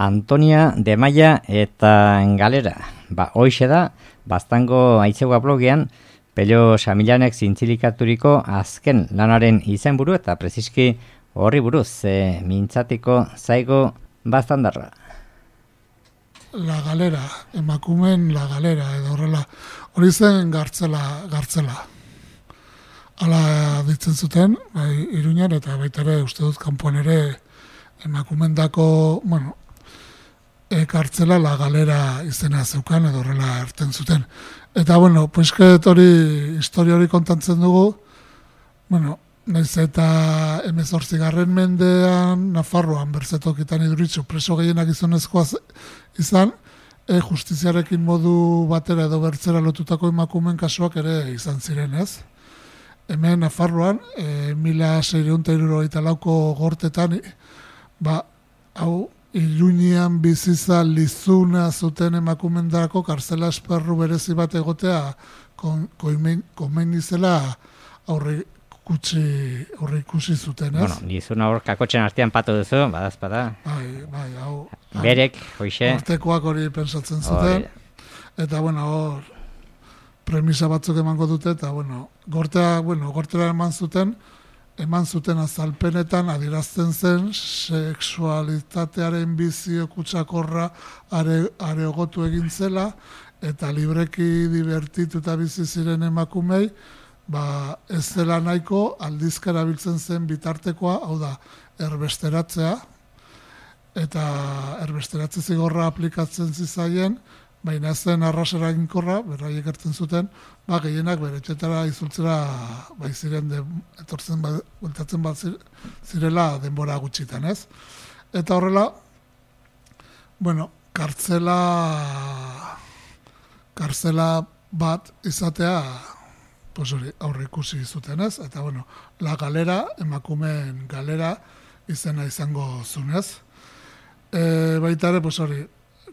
Antonia de Maia eta Galera. Hoixe da, Baztango Aitzegua blogean, Pello Samilanek zintzilikatuko azken lanaren izenburu eta preziski horri buruz, mintzatiko zaigo baztandarra. La Galera, emakumen La Galera, edo horrela, hori zen gartzela. Hala ditzen zuten, Iruñan, eta baita ere, uste dut, kanpoan ere, emakumendako, kartzela La Galera izena zeukan, edo horrela erten zuten. Eta, poisket hori, historia hori kontantzen dugu, naiz eta 18. mendean, Nafarroan, Berzetokitan Iduritzu, preso gehienak gizonezkoa izan, justiziarekin modu batera edo bertzera lotutako emakumen kasuak ere izan ziren, ez? Hemen Nafarroan, 1674ko gortetan, hau, Iruñean biziza lizuna zuten emakumendarako kartzela esperru berezi bat egotea komen izela aurre ikusi zuten, ez? Lizuna hor kakotxen artean patu duzu, badazpada. Bai, hau. Berek, hoixe. Hortekoak hori pentsatzen zuten. Eta, hor premisa batzuk emango dute, eta, gortera eman zuten azalpenetan adierazten zen sexualitatearen bizio kutsakorra areogotu egin zela, eta libreki divertituta bizi ziren emakumei, ez zela nahiko aldizkara biltzen zen bitartekoa, hau da, erbesteratzea, eta erbesteratze zigorra aplikatzen zizaien, baina zen arrasera eginkorra, berraiek ertzen zuten, gehienak bere etxetara izultzera ziren etortzen bueltatzen zirela denbora gutxitan, ez? Eta horrela, kartzela bat izatea aurre ikusi zuten, ez? Eta, La Galera, emakumeen galera izena izango zunez. Baita ere,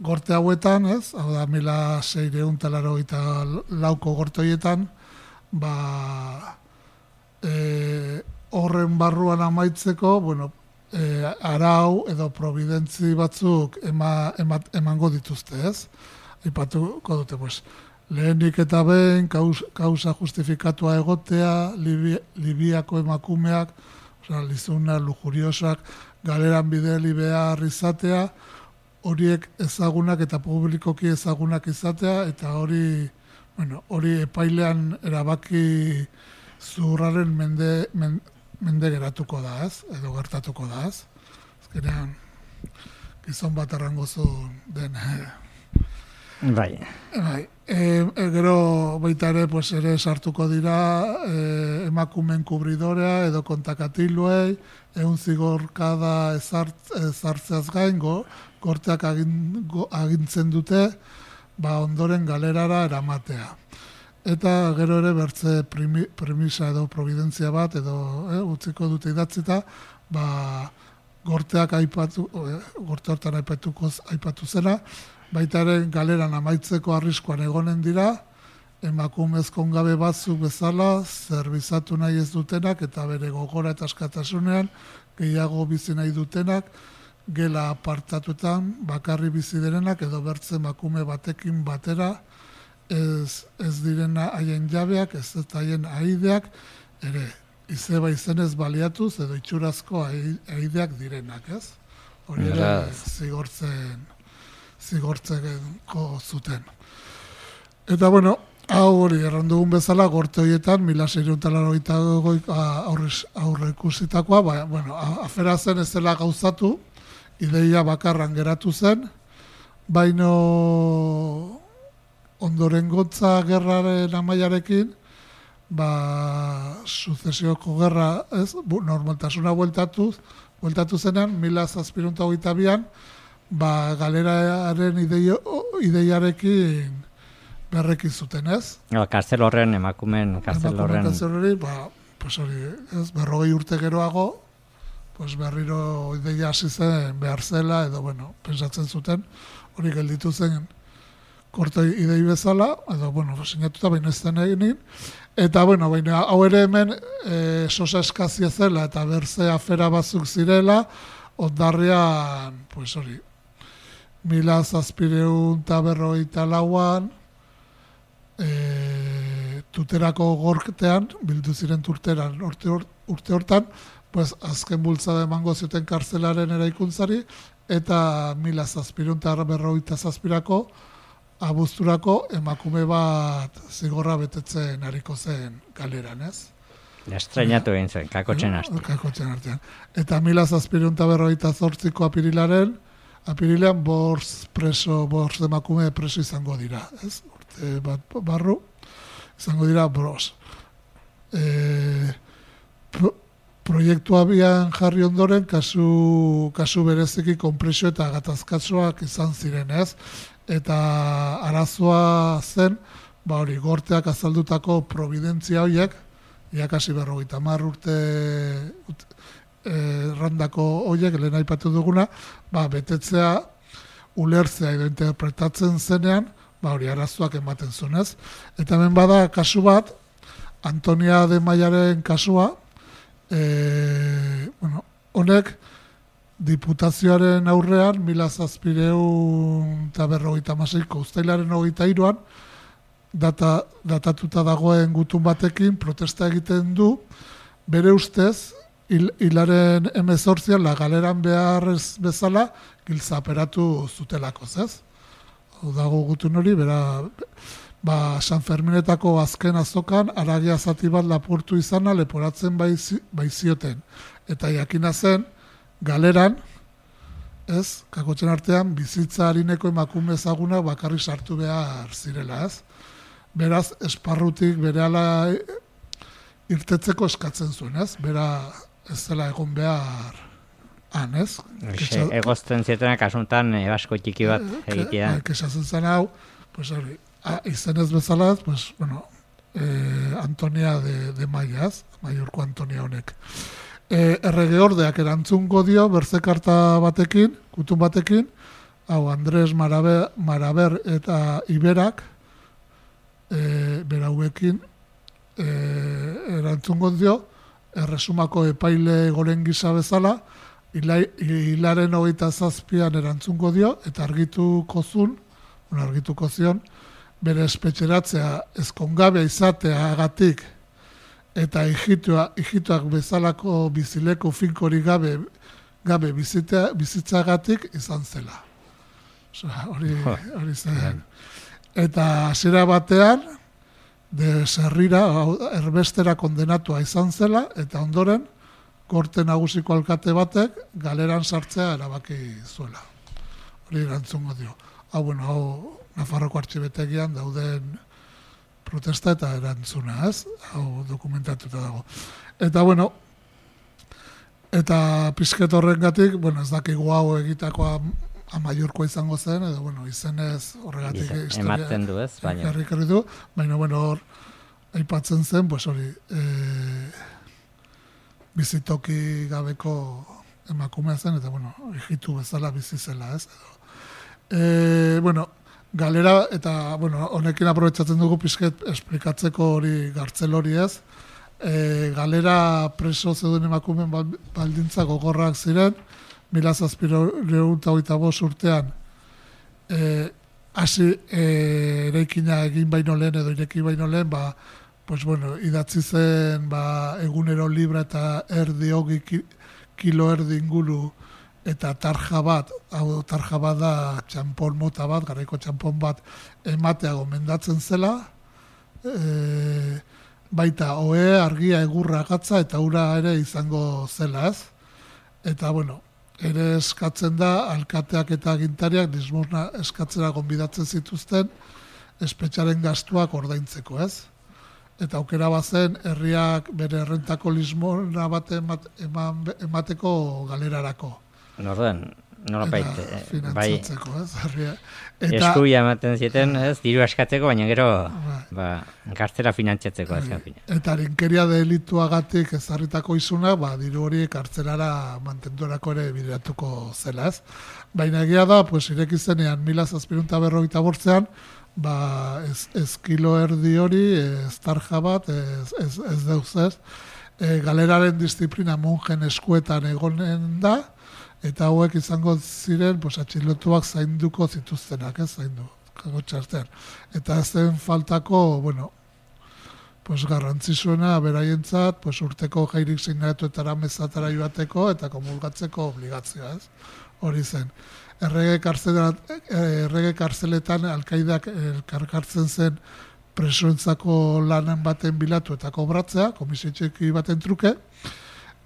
gorte hauetan, ez? Hau da, 1684ko gorte horietan, horren barruan amaitzeko, arau edo providentzi batzuk emango dituzte, ez? Aipatuko dute, lehenik eta behin, kausa justifikatua egotea, Libiako emakumeak, lizuna, lujuriosak, galeran bideli behar izatea, horiek ezagunak eta publikoki ezagunak izatea, eta hori epailean erabaki zurraren mende geratuko da, ez? Edo gertatuko da, ez? Azkenean, gizon bat arrangozu den. Bai. Gero baita ere sartuko dira emakumen kubridorea edo kontakatiluei, zigorkada ezartzeaz gain, gorteak agintzen dute, ondoren galerara eramatea. Eta gero ere bertze premisa edo providentzia bat, edo utziko dute idatzita, gorteak gorte hortan aipatu zena, baita ere galeran amaitzeko arriskuan egonen dira, emakumezko ongabe batzuk bezala, zerbizatu nahi ez dutenak, eta bere gogora eta askatasunean, gehiago bizi nahi dutenak, gela apartatutan, bakarri bizi direnak, edo bertze emakume batekin batera, ez direna haien jabeak, ez haien aideak, ere, izeba izenez baliatuz, edo itxurazko aideak direnak, ez? Hori ere, zigortzeko zuten. Eta, hau hori, errandugun bezala, gorte horietan, 1682 aurre ikusitakoa, afera zen ez dela gauzatu, ideia bakarran geratu zen, baino ondorengotza gerraren amaiarekin, suzesioko gerra, normaltasuna bueltatu zenean, 1722an, galeraren ideiarekin berrekin zuten, ez? Kartzel horren, emakumen kartzel horren. Berrogei urte geroago, berriro ideia hasi zen behar zela, edo, pensatzen zuten, hori gelditu zen korte idei bezala, edo, sinatuta baina ez zen egin, eta, hau ere hemen sosa eskazia zela, eta berze afera batzuk zirela, ondarrean, 1754an, tuterako gortean, bildu ziren turteran urte hortan, pues azken bultzada emango zuten kartzelaren eraikuntzari, eta 1757ko abuzturako emakume bat zigorra betetzen hariko zen galeran, ez? Estrenatu egin zen, kakotxen artean. Eta 1758ko apirilean bortz emakume preso izango dira, ez? Urte bat barru, izango dira bros. Proiektu abian jarri ondoren, kasu bereziki konpresio eta gatazkatsuak izan ziren, ez? Eta arazoa zen, gorteak azaldutako providentzia horiek, iakasi 50 urte randako horiek, lehen aipatu duguna, betetzea, ulertzea edo interpretatzen zenean, arazoak ematen zunez. Eta hemen bada kasu bat, Antonia de Maiaren kasua, honek diputazioaren aurrean 1756ko uztailaren 23an datatuta dagoen gutun batekin protesta egiten du, bere ustez hilaren 18an la galeran beharrez bezala giltzaperatu zutelako, ez? Hau dago gutun hori, San Ferminetako azken azokan aragia zati bat lapurtu izana leporatzen baizioten. Eta jakina zen, galeran, ez, kakotxen artean, bizitza harineko emakume ezaguna bakarrik sartu behar zirela, ez? Beraz, esparrutik berehala irtetzeko eskatzen zuen, ez? Bera ez zela egon behar han, ez? Egozten zietenak asuntan ebasko txiki bat egitea. Kesatzen zen hau, pues hori, izenez bezalaz, pues, Antonia de Maiaz, Maiorko Antonia honek. Errege ordeak erantzungo dio, berzekarta batekin, gutun batekin, hau Andres Maraber eta Iberak, berauekin, erantzungo dio, erresumako epaile goren gisa bezala, hilaren 27an erantzungo dio, eta argituko zion, bere espetxeratzea ezkongabea izateagatik eta hijituak bezalako bizileko finkori gabe bizitzagatik izan zela. Hori zen. Eta hasiera batean, zerrira, erbestera kondenatua izan zela, eta ondoren, gorte nagusiko alkate batek galeran sartzea erabaki zuela. Hori erantzungo dio. Hau Nafarroko artxibetegian dauden protesta eta erantzuna, ez? Hau dokumentatuta dago. Eta, eta pizket horrengatik, ez dakigu hau egitakoa amaiurkoa izango zen, edo, izenez horregatik ematen du, ez? Baina hor, aipatzen zen, hori, bizitoki gabeko emakumea zen, eta, hijitu bezala bizi zela, ez? Galera, eta, honekin aprobetxatzen dugu pizket esplikatzeko hori gartzel hori, ez? Galera preso zeuden emakumeen baldintza gogorrak ziren, 1725 urtean hasi eraikina egin baino lehen edo ireki baino lehen, idatzi zen egunero libra eta hogi kilo erdi inguru eta tarja bat da txampon mota bat, garaiko txampon bat ematea gomendatzen zela, baita ohe, argia, egurra, gatza eta ura ere izango zela, ez? Eta, ere eskatzen da, alkateak eta agintariak dismurna eskatzera gonbidatzen zituzten, espetxaren gastuak ordaintzeko, ez? Eta aukera bazen, herriak bere errentako lismona bat emateko galerarako. Norden, nola baita. Finantzatzeko, ez? Eskuia ematen zieten, ez? Diru askatzeko, baina gero kartzera finantzatzeko. Eta harinkeria delituagatik ezarritako izuna, diru hori kartzelara mantenduerako ere bideratuko zela, ez? Baina egia da, ireki zenean 1758an, ez kilo erdi hori, ez tarja bat, ez deuz ez, galeraren disiplina monjen eskuetan egonen da, Eta hauek izango ziren, pues, atxilotuak zainduko zituztenak, zaindu, kago txartean. Eta zen faltako, bueno, pues, garrantzizuena beraientzat, pues, urteko jairik sinatuetara mezatara joateko eta komulgatzeko obligazioa, hori zen. Errege karzeletan alkaidak elkarkartzen zen presoentzako lanen baten bilatu eta kobratzea, komisio txiki baten truke,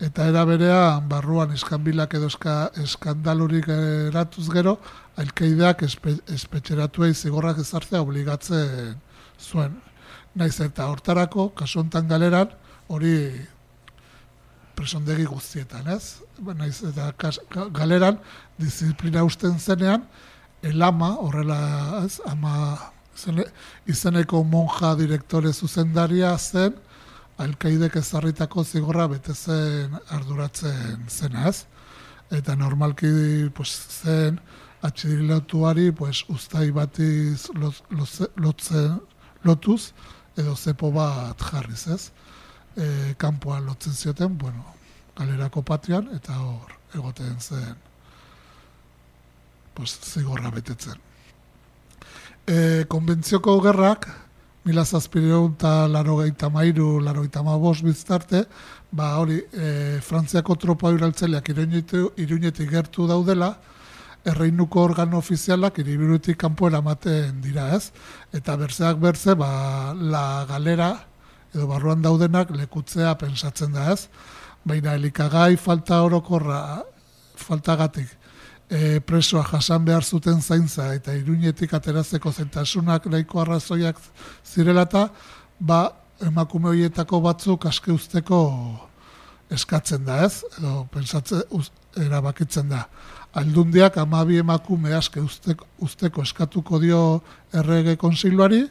eta era berean barruan iskanbilak edo eskandalurik eratuz gero, alkaideak espetxeratuei zigorrak ezartzea obligatzen zuen. Naiz eta hortarako, kasu hontan galeran, hori presondegi guztietan, Naiz eta galeran, disiplina usten zenean, elama, horrela, izeneko monja direktore zuzendaria zen, alkaidek ezarritako zigorra betezen arduratzen zena, Eta normalki zen atxilotuari uztai batiz lotuz, edo zepo bat jarriz, kanpoan lotzen zioten, galerako patian, eta hor egoten zen zigorra betetzen. Konbentzioko gerrak, 1783-85 biztarte, hori, Frantziako tropa uraltzeleak Iruñetik gertu daudela, erreinuko organo ofizialak hiriburutik kanpo eramaten dira, Eta berzeak berze, la galera, edo barruan daudenak lekutzea pensatzen da, Baina elikagai falta orokorra, faltagatik, presoa jasan behar zuten zaintza eta Iruñetik aterazeko zentasunak nahiko arrazoiak zirelata, emakume horietako batzuk aske usteko eskatzen da, Edo pensatzen erabakitzen da. Aldundiak 12 emakume aske usteko eskatuko dio errege kontseiluari,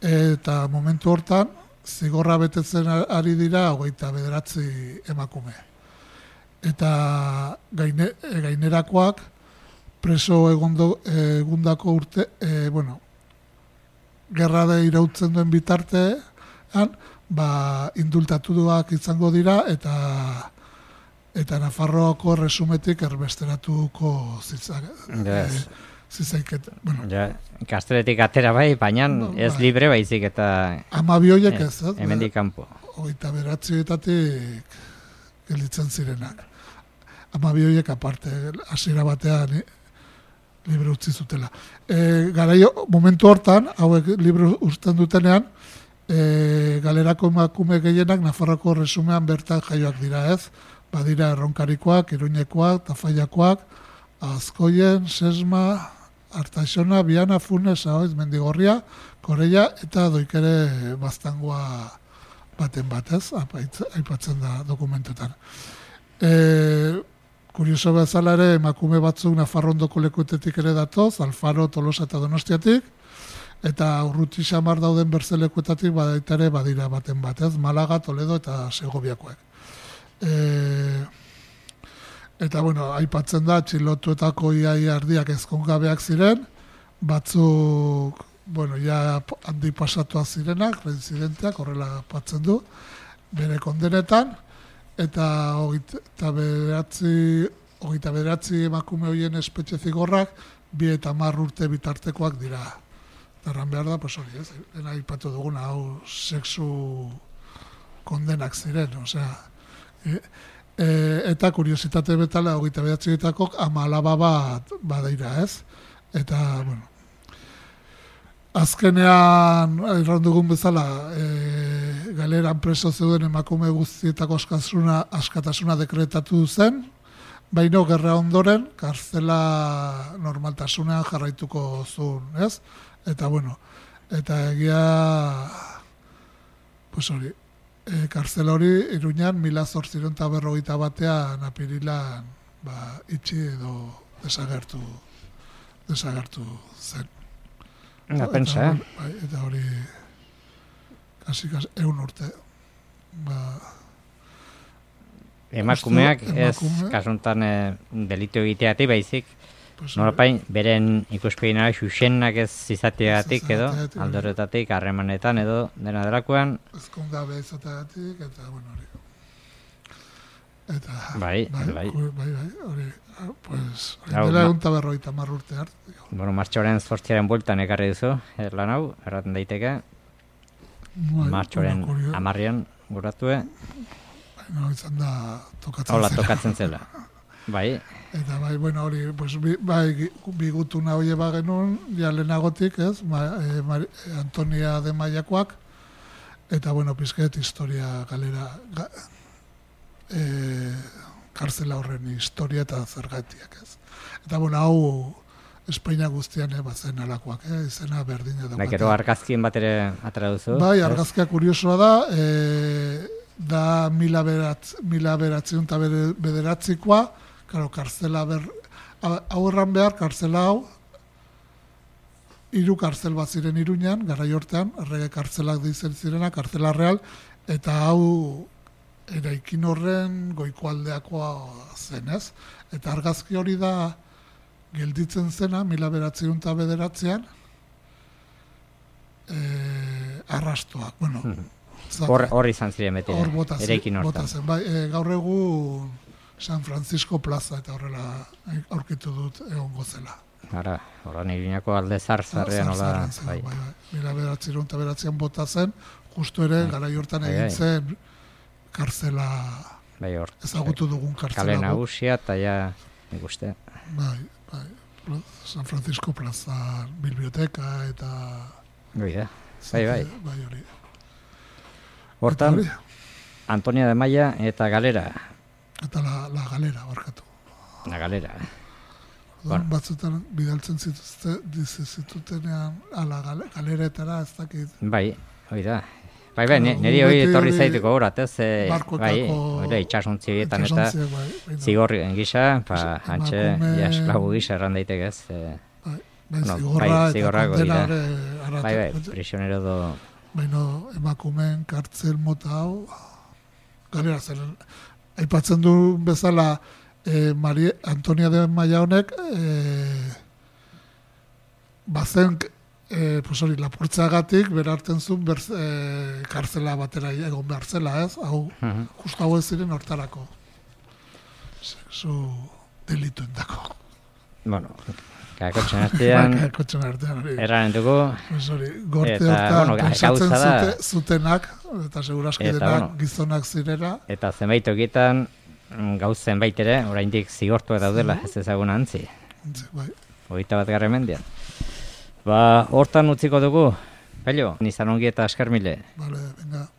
eta momentu hortan zigorra betetzen ari dira 29 emakume. Eta gainerakoak preso egundako urte, gerra da irautzen duen bitartean, indultatuak izango dira eta Nafarroako resumetik erbesteratuko zizaiket. Kasteletik atera baina ez libre baizik eta 12 horiek ez, hemendik kanpo. 29etatik gelditzen zirenak. 12 horiek aparte, hasiera batean libre utzi zutela. Momentu hortan, hauek libre uzten dutenean, galerako emakume gehienak Nafarroko resumean bertan jaioak dira, Badira Erronkarikoak, Iruñekoak, Tafaiakoak, Azkoien, Sesma, Artaixona, Biana, Funes, Ahoiz, Mendigorria, Koreia eta Doikere Baztangoa baten batez, aipatzen da dokumentuetan. Kurioso bezala ere, emakume batzuk Nafarrondoko lekuetetik ere datoz, Alfaro, Tolosa eta Donostiatik, eta urruti xamar dauden berzelekuetatik ere badira baten batez, Malaga, Toledo eta Segoviakoek. Eta, aipatzen da, txilotuetako iaia ardiak ezkongabeak ziren, batzuk, handi pasatuak zirenak, reinzidenteak, horrela aipatzen du, bere kondenetan, eta 29 emakume horien espetxe zigorrak 2 eta 10 urte bitartekoak dira. Darran behar da, hori, dena aipatu duguna, hau sexu kondenak ziren, eta kuriositate betala 29-etako 10 bat badaira, Eta, azkenean, errandugun bezala, galeran preso zeuden emakume guztietako askatasuna dekretatu zen, baina gerra ondoren, kartzela normaltasunean jarraituko zuen, Eta, eta egia, hori, kartzela hori, Iruñan, 1851 apirilan, itxi edo desagertu zen. Pensa, Eta hori, kasi 100 urte. Emakumeak ez kasuntan delitu egiteatik baizik, norapain, beren ikuspegina xuxenak ez izateatik edo, aldorretatik, harremanetan edo, dena delakoan. Ezkongabe izateatik, eta hori. Eta, bai. Hori, pues, dela 150 urte arte. Bueno, martxoaren 8 bueltan ekarri duzu, lan hau, erraten daiteke. Martxoaren 10 guratue. No, izan da tokatzen zela. Tokatzen zela. Bai. Eta bai, bueno, hori, pues, bigutuna hori bagenun, ja lehenagotik, ez, Antonia de Maiakoak, eta, bueno, pizket historia galera, karzela horren historia eta zergatiak, ez. Eta, bueno, hau Espainia guztian bazen alakoak, izena berdina daukate. Gero argazkien bat ere atera duzu? Bai, argazkia kuriosoa da 1909koa, claro, karzela hau erran behar, karzela hau, 3 karzel bat ziren Iruñan, garai hortean, errege karzelak dizen zirena, karzela real, eta hau eraikin horren goikoaldeakoa zen, ez? Eta argazki hori da gelditzen zena, 1909an, arrastoak, bueno. Hor izan ziren beti, eraikin hortan. Bai, gaur egun San Francisco plaza eta horrela aurkitu dut egongo zela. Ara, horren Iruñako alde zarrean hola. Bai. 1909an bota zen, justu ere, garai hortan egin zen karzela, ezagutu dugun karzela. Kale nagusia eta ja, nik uste. Bai. San Francisco plaza, biblioteka eta... Bai. Bai, hori. Hortan, Antonia de Maia eta Galera. Eta la Galera, barkatu. La Galera. Batzutan bidaltzen zitutenean galeretara ez dakit. Bai, hori da. Bai, niri hori etorri zaituko horat, ez? Bai, itxasuntzi bietan eta zigorri gisa, hantxe, esklabu gisa erran daitek ez. Zigorra eta kondenare aratu. Bai, prisionero do... Baina emakumeen kartzel mota hau, galera zen, aipatzen du bezala Antonia de Maia honek, bazen, lapurtzagatik berarten zuen kartzela batera egon behar zela, ez? Hau, justu hau ez ziren hortarako. Sexu delitu endako. Bueno, kakotxen artean, erraren dugu. Gorte hortan pentsatzen zutenak, eta seguraski denak gizonak zirera. Eta zenbait okietan, gauzen baitere, oraindik zigortu daudela, ez ezagun antzi. Bai. 21. mendean. Hortan utziko dugu, Pello, nizan ongi eta askar mile. Vale, venga.